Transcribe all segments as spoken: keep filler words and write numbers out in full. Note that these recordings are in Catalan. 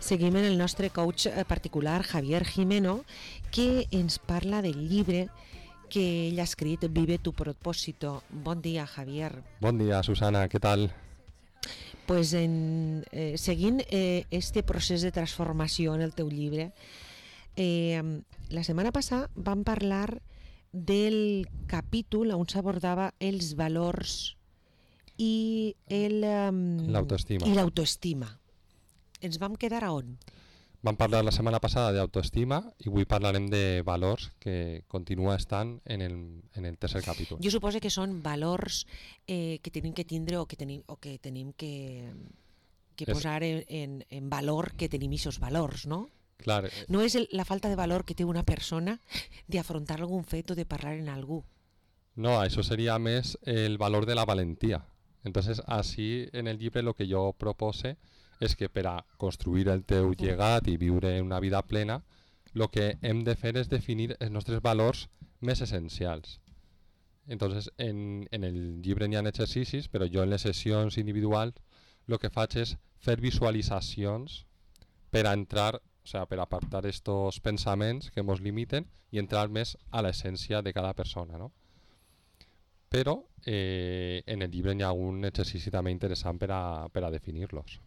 Seguim en el nostre coach particular, Javier Jimeno, que ens parla del llibre que ell ha escrit, Vive tu propósito. Bon dia, Javier. Bon dia, Susana, què tal? Pues en, eh, seguint eh, este procés de transformació en el teu llibre, eh, la setmana passada vam parlar del capítol on s'abordava els valors i el, um, l'autoestima. i l'autoestima. Ens vam quedar a on? Vam parlar la setmana passada d'autoestima i avui parlarem de valors, que continua estant en el, en el tercer capítol. Jo suposo que són valors eh, que tenim que tindre o que tenim, o que, tenim que, que posar en, en, en valor, que tenim aquests valors, no? Clar. No és el, la falta de valor que té una persona d'afrontar algun fet o de parlar en algú. No, això seria més el valor de la valentia. Entonces, así en el llibre lo que yo propose és que per a construir el teu llegat i viure una vida plena, el que hem de fer és definir els nostres valors més essencials. Entonces, en, en el llibre n'hi ha exercicis, però jo en les sessions individuals el que faig és fer visualitzacions per a entrar, o sea, per apartar estos pensaments que ens limiten i entrar més a l'essència de cada persona, no? Però eh, en el llibre n'hi ha un exercici també interessant per a, per a definir-los.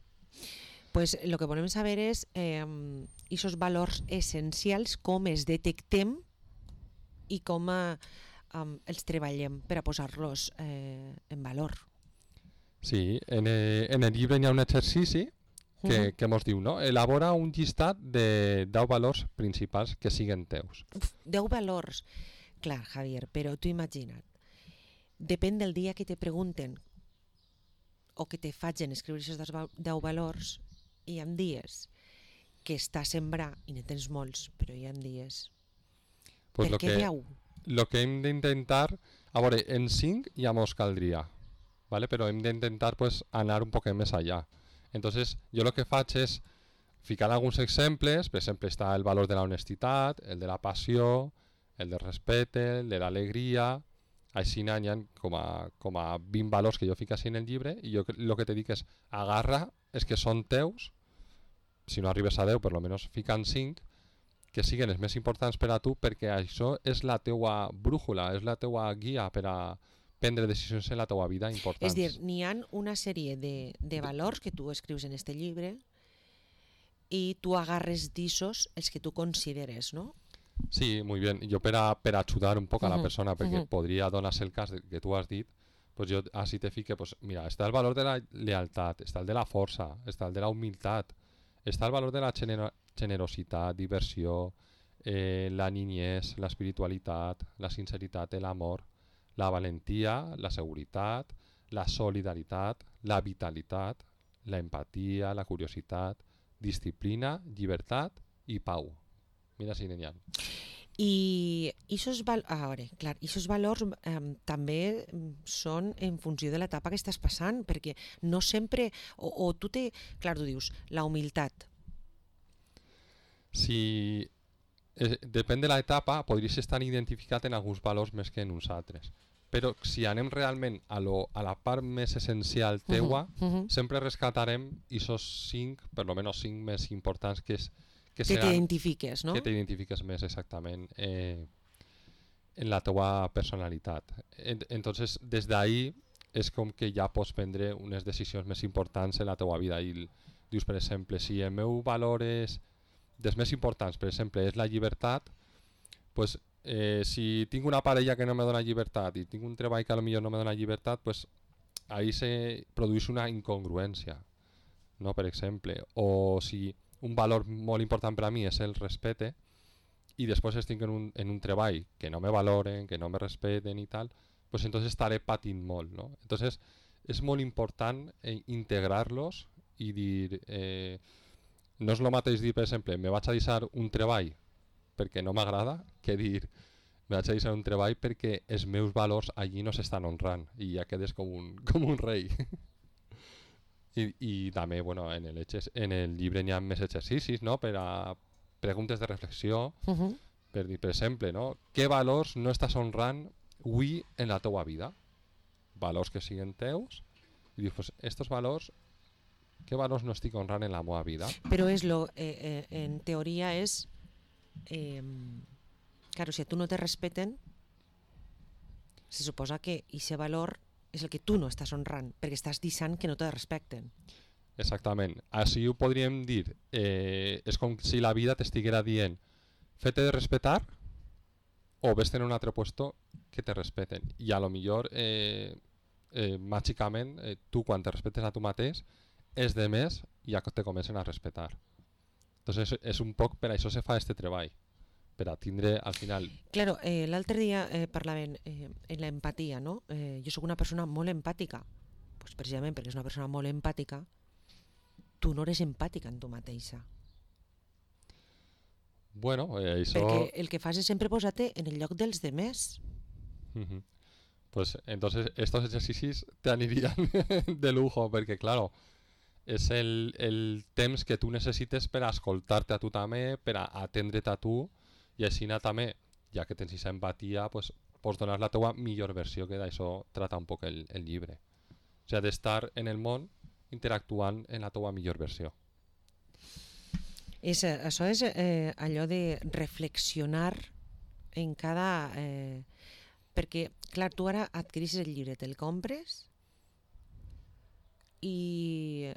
Pues lo que volem saber és eh, esos valors essencials, com els detectem i com eh, um, els treballem per a posar-los eh, en valor. Sí, en el, en el llibre hi ha un exercici que, uh-huh. que ens diu, no? Elabora un llistat de deu valors principals que siguen teus. Uf, deu valors. Clar, Javier, però tu imagina't, depèn del dia que te pregunten o que te facin escriure aquests deu valors, hi ha dies que està a sembrar i ne tens molts, però hi ha dies. Pues per lo què que, deu? Lo que hem d'intentar, a veure, en cinc ja mos caldria, ¿vale? Però hem d'intentar pues, anar un poc més allà. Entonces, jo el que faig és ficar alguns exemples, per exemple, està el valor de la honestitat, el de la passió, el del respecte, el de l'alegria. Així n'hi ha com a, com a vint valors que jo fico així en el llibre i jo el que te dic és agarra els que són teus, si no arribes a deu per almenys fican cinc, que siguin els més importants per a tu, perquè això és la teua brújula, és la teua guia per a prendre decisions en la teua vida importants. És dir, n'hi ha una sèrie de, de valors que tu escrius en este llibre i tu agarres d'issos els que tu consideres, no? Sí, muy bien. Yo para, para ayudar un poco a la uh-huh, persona, porque uh-huh. podría donarse el caso que tú has dicho, pues yo así te fique, pues mira, está el valor de la lealtad, está el de la fuerza, está el de la humildad, está el valor de la genero- generositat, diversió, eh, la niñez, la espiritualitat, la sinceritat, el amor, la valentia, la seguretat, la solidaritat, la vitalitat, la empatia, la curiositat, disciplina, llibertat i pau. Mira si n'hi ha. I aquests val- a veure, clar, aquests valors eh, també són en funció de l'etapa que estàs passant, perquè no sempre, o, o tu te, clar, tu dius, la humilitat. Si eh, depèn de l'etapa, podries estar identificat en alguns valors més que en uns altres. Però si anem realment a, lo, a la part més essencial teua, uh-huh, uh-huh. sempre rescatarem aquests cinc, per almenys cinc més importants que és que, que t'identifiques, no? Que t'identifiques més exactament eh, en la teua personalitat. En, entonces, des d'ahí és com que ja pots prendre unes decisions més importants en la teua vida. I dius, per exemple, si el meu valor és dels més importants, per exemple, és la llibertat, pues, eh, si tinc una parella que no me dona llibertat i tinc un treball que potser no me dona llibertat, pues, ahí se produeix una incongruència, no? Per exemple, o si un valor molt important per a mi és el respecte i després estic en un, en un treball que no me valoren, que no me respeten i tal, pues entonces estaré patint molt, no? Entonces és molt important eh, integrar-los i dir, eh, no és el mateix dir, per exemple, me vaig a deixar un treball perquè no m'agrada, que dir me vaig a deixar un treball perquè els meus valors allí no s'estan honrant i ja quedes com un, com un rei. I, i també, bueno, en el, en el llibre n'hi ha més exercicis, no? Per a preguntes de reflexió, uh-huh. per dir, per exemple, no? Què valors no estàs honrant avui en la teua vida? Valors que siguin teus, i dius, pues, estos valors què valors no estic honrant en la meva vida? Però és lo, eh, eh, en teoria és... Eh, claro, si a tu no te respeten, se suposa que aquest valor és el que tu no estàs honrant, perquè estàs deixant que no te respecten. Exactament. Així ho podríem dir. Eh, és com si la vida t'estiguera dient fete de respetar o ves en un altre puesto que te respeten. I a lo millor, eh, eh, màgicament, eh, tu quan te respetes a tu mateix, és de més i ja te comencen a respetar. Entonces és un poc per això se fa este treball, per a tindre al final... Claro, eh, l'altre dia eh, parlaven eh, en l'empatia, no? Eh, jo sóc una persona molt empàtica, pues precisament perquè és una persona molt empàtica, tu no eres empàtica en tu mateixa. Bueno, eh, això... Perquè el que fas és sempre posar-te en el lloc dels demés. Uh -huh. Pues entonces estos ejercicios te anirían de lujo, perquè claro, és el, el temps que tu necessites per a escoltar-te a tu també, per a atendre't a tu, i així també, ja que tens aquesta empatia, pues, pots donar la teua millor versió, que d'això trata un poc el, el llibre. O sigui, d'estar en el món interactuant en la teua millor versió. És, això és eh, allò de reflexionar en cada... Eh, perquè, clar, tu ara adquirissis el llibre, te'l compres i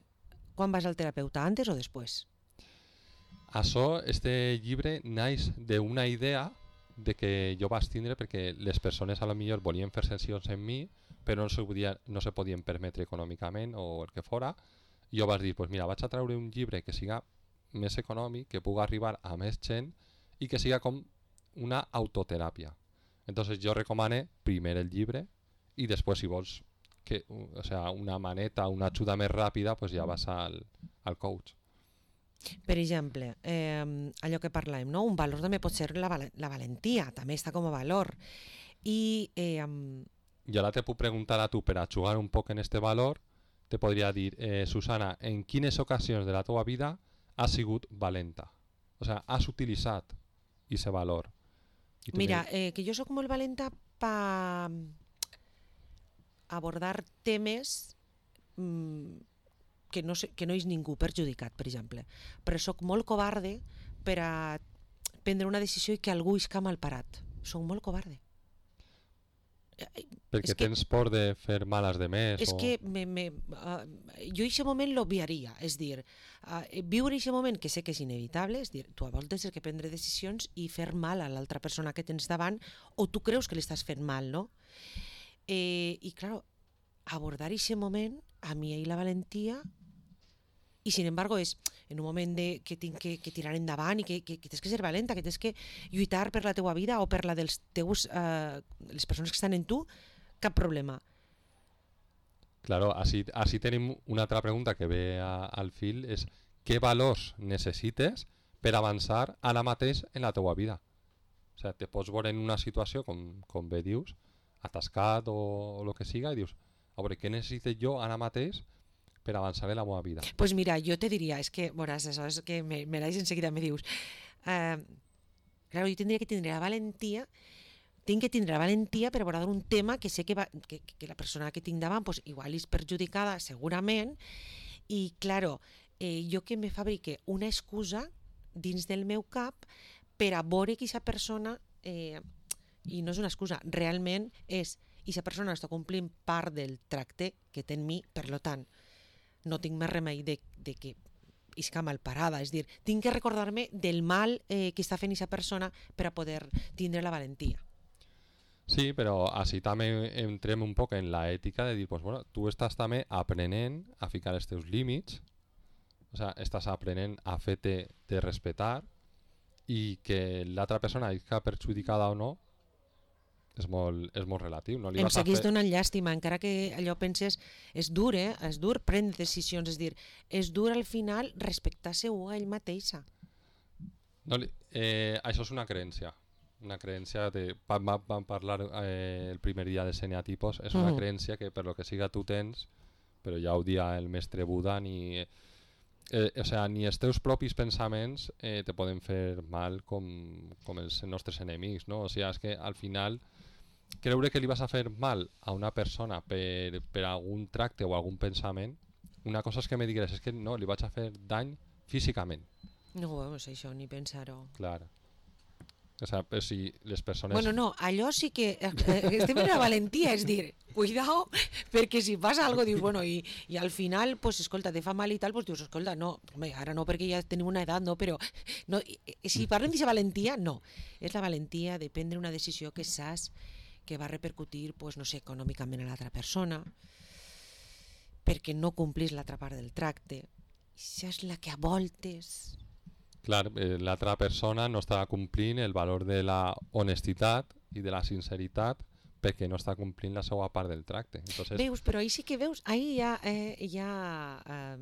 quan vas al terapeuta, antes o després? Això, este llibre naix d'una idea de que jo vaig tindre perquè les persones a lo millor volien fer sessions en mi, però no se, podia, no se podien permetre econòmicament o el que fora. I jo vaig dir, pues mira, vaig a treure un llibre que siga més econòmic, que pugui arribar a més gent i que siga com una autoteràpia. Entonces jo recomane primer el llibre i després si vols que, o sea, una maneta, una ajuda més ràpida, pues ja vas al, al coach. Per exemple, eh, allò que parlàvem, no? Un valor també pot ser la, val la valentia, també està com a valor. I, eh, I ara te puc preguntar a tu, per a jugar un poc en este valor, te podria dir, eh, Susana, en quines ocasions de la teva vida has sigut valenta? O sea, has utilitzat aquest valor. Mira, eh, que jo sóc molt valenta per abordar temes mmm, que, no sé, que no és ningú perjudicat, per exemple. Però sóc molt covarde per a prendre una decisió i que algú isca mal parat. Sóc molt covarde. Perquè tens por de fer mal als demés? És o... que me, me, uh, jo aquest moment l'obviaria, és dir, uh, viure aquest moment que sé que és inevitable, és dir, tu a voltes has de prendre decisions i fer mal a l'altra persona que tens davant, o tu creus que li estàs fent mal, no? Eh, I, clar, abordar aquest moment, a mi hi la valentia, i sin embargo és en un moment de, que tinc que, que tirar endavant i que, que, que tens que ser valenta, que tens que lluitar per la teua vida o per la dels teus, eh, les persones que estan en tu, cap problema. Claro, així, així tenim una altra pregunta que ve a, al fil, és què valors necessites per avançar ara mateix en la teua vida? O sigui, te pots veure en una situació, com, com bé dius, atascat o, o el que siga, i dius, a veure, què necessito jo ara mateix per avançar en la meva vida? Doncs pues mira, jo te diria, és que, veuràs, això és que me, me l'haig enseguida, me dius, eh, claro, jo tindria que tindre la valentia, tinc que tindre la valentia per abordar un tema que sé que, va, que, que la persona que tinc davant pues, igual és perjudicada segurament, i claro, eh, jo que me fabrique una excusa dins del meu cap per a veure que aquesta persona, eh, i no és una excusa, realment és, aquesta persona està complint part del tracte que té en mi, per lo tant, no tinc més remei de, de que isca mal parada, és dir, tinc que recordar-me del mal eh, que està fent aquesta persona per a poder tindre la valentia. Sí, però així també entrem un poc en la ètica de dir, pues, bueno, tu estàs també aprenent a ficar els teus límits, o sea, estàs aprenent a fer-te de respetar, i que l'altra persona isca perjudicada o no és molt, és molt relatiu. No li em vas a segueix fer... donant llàstima, encara que allò penses, és dur, eh? És dur prendre decisions, és dir, és dur al final respectar-se a ell mateixa. No, eh, això és una creencia. Una creencia, de, vam, vam parlar eh, el primer dia de seneatipos, és una uh -huh. creencia que per lo que siga tu tens, però ja ho dia el mestre Buda, ni, eh, o sea, ni els teus propis pensaments eh, te poden fer mal com, com els nostres enemics, no? O sigui, és que al final creure que li vas a fer mal a una persona per, per algun tracte o algun pensament Una cosa és que me digués, és que no, li vaig a fer dany físicament. No, doncs això, ni pensar-ho. Clar. O sea, pues si les persones... Bueno, no, allò sí que eh, estem en la valentia, és dir, cuidao, perquè si passa algo dius, bueno, i, i al final, pues, escolta, te fa mal i tal, pues dius, escolta, no, home, ara no perquè ja tenim una edat, no, però no, si parlem d'aquesta valentia, no. És la valentia de prendre una decisió que saps que va repercutir, pues, no sé, econòmicament a l'altra persona, perquè no complis l'altra part del tracte. Això és la que a voltes... Clar, eh, l'altra persona no està complint el valor de la honestitat i de la sinceritat perquè no està complint la seva part del tracte. Entonces... Veus, però ahí sí que veus, ahí ja, eh, ja eh,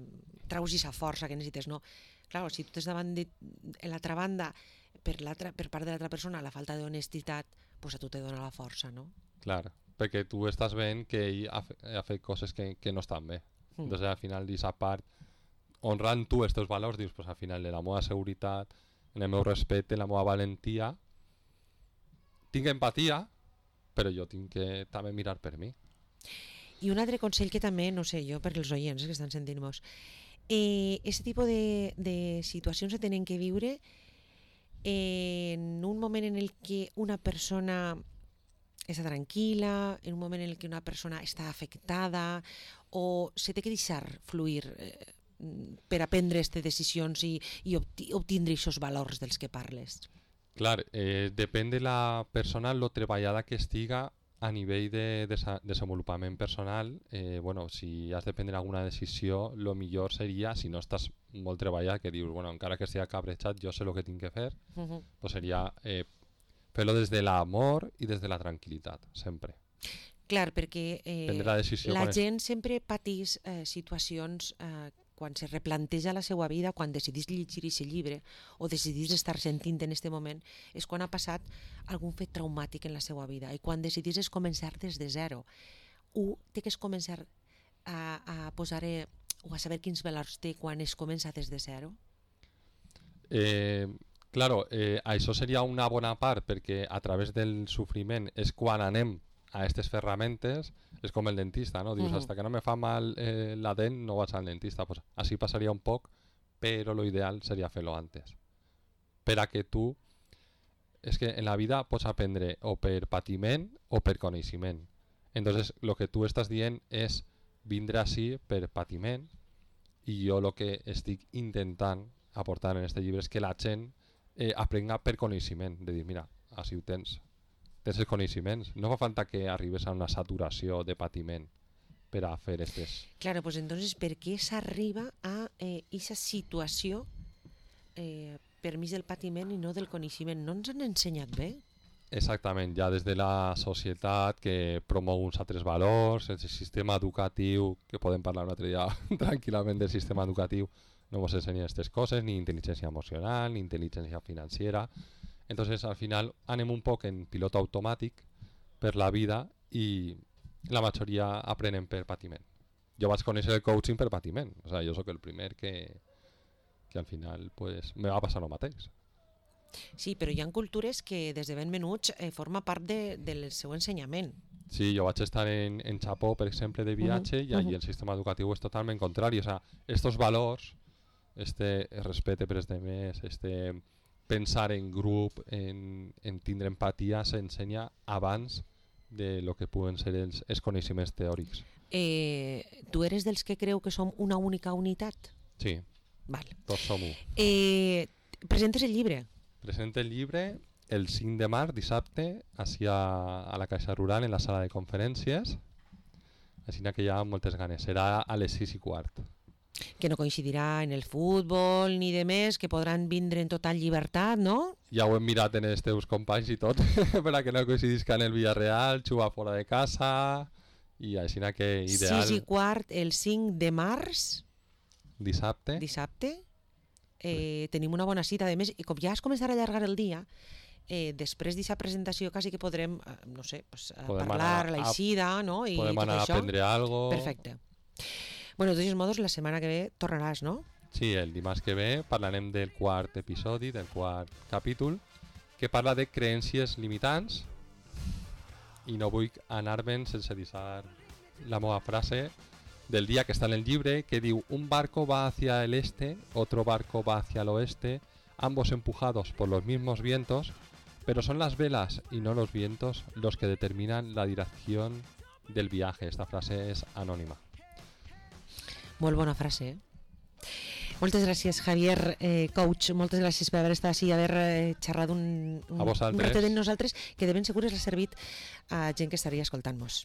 traus aquesta força que necessites, no? Clar, si tu tens davant de l'altra banda, per, per part de l'altra persona, la falta d'honestitat, pues a tu te dona la força, no? Clar, perquè tu estàs veient que ell ha, ha fet coses que, que no estan bé. Mm. Entonces al final d'aquesta part, honrant tu els teus valors, dius, pues al final de la meva seguretat, en el meu respecte, en la meva valentia, tinc empatia, però jo tinc que també mirar per mi. I un altre consell que també, no sé, jo per als oients que estan sentint-nos, eh, aquest tipus de, de situacions se tenen que viure eh, en un moment en el que una persona està tranquil·la, en un moment en el que una persona està afectada, o se té que deixar fluir eh, per a prendre aquestes decisions i, i obtindre aquests valors dels que parles? Clar, eh, depèn de la persona lo treballada que estiga a nivell de, de desenvolupament personal. Eh, bueno, si has de prendre alguna decisió, lo millor seria, si no estàs molt treballat, que dius, bueno, encara que estigui cabrejat, jo sé el que tinc que fer, uh -huh. pues seria eh, fer-lo des de l'amor i des de la tranquil·litat, sempre. Clar, perquè eh, la, la gent es... sempre pateix eh, situacions eh, quan se replanteja la seva vida, quan decidís llegir aquest llibre o decidís estar sentint en aquest moment, és quan ha passat algun fet traumàtic en la seva vida i quan decidís és començar des de zero. Un té que es començar a, a posar eh, o a saber quins valors té quan es comença des de zero? Eh, claro, eh, això seria una bona part perquè a través del sofriment és quan anem a aquestes ferramentes. És com el dentista, no? Dius, uh-huh. hasta que no me fa mal eh, la dent no vaig al dentista. Pues así pasaría un poc, però lo ideal seria fer-lo antes. Per a que tu... És que en la vida pots aprendre o per patiment o per coneixement. Entonces, lo que tu estàs dient és vindre així per patiment i jo el que estic intentant aportar en este llibre és que la gent eh, aprenga per coneixement. De dir, mira, així ho tens. Tens els coneixements. No fa falta que arribes a una saturació de patiment per a fer aquestes... Claro, pues entonces, per què s'arriba a aquesta eh, situació eh, per mig del patiment i no del coneixement? No ens han ensenyat bé? Exactament, ja des de la societat que promou uns altres valors, el sistema educatiu, que podem parlar un altre dia tranquil·lament del sistema educatiu, no ens ensenya aquestes coses, ni intel·ligència emocional, ni intel·ligència financera. Entonces al final anem un poc en pilot automàtic per la vida i la majoria aprenen per patiment. Jo vaig conèixer el coaching per patiment, o sea, jo sóc el primer que, que al final pues, me va passar el mateix. Sí, però hi ha cultures que des de ben menuts eh, forma part de, del seu ensenyament. Sí, jo vaig estar en, en Japó, per exemple, de viatge, uh -huh. i allí uh -huh. el sistema educatiu és totalment contrari. O sea, estos valors, este respecte per els demés, este pensar en grup, en, en tindre empatia, s'ensenya abans de lo que puguen ser els, els coneixements teòrics. Eh, tu eres dels que creu que som una única unitat? Sí, Val. tots som un. Eh, presentes el llibre? Presenta el llibre el cinc de març, dissabte, així a, a la Caixa Rural, en la sala de conferències. Així que hi ha moltes ganes. Serà a les sis i quart. Que no coincidirà en el futbol ni de més, que podran vindre en total llibertat, no? Ja ho hem mirat en els teus companys i tot, per a que no coincidisca en el Villarreal, jugar fora de casa, i així que ideal... sis i quart, el cinc de març. Dissabte. Dissabte. Eh, tenim una bona cita. A més, i com ja es començarà a allargar el dia, eh, després d'aquesta presentació quasi que podrem, eh, no sé, pues, parlar, l'eixida, no? I podem anar això. a aprendre algo. Perfecte. Bueno, de todos modos, la setmana que ve tornaràs, no? Sí, el dimarts que ve parlarem del quart episodi, del quart capítol, que parla de creències limitants, i no vull anar-me'n sense deixar la meva frase del día que está en el llibre, que diu: un barco va hacia el este, otro barco va hacia el oeste, ambos empujados por los mismos vientos, pero son las velas y no los vientos los que determinan la dirección del viaje. Esta frase és anònima. Molt bona frase, eh? Moltes gràcies, Javier, eh, coach. Moltes gràcies per haver estat així i haver eh, xerrat un, un, un ratet amb nosaltres, que de ben segur ha servit a gent que estaria escoltant-nos.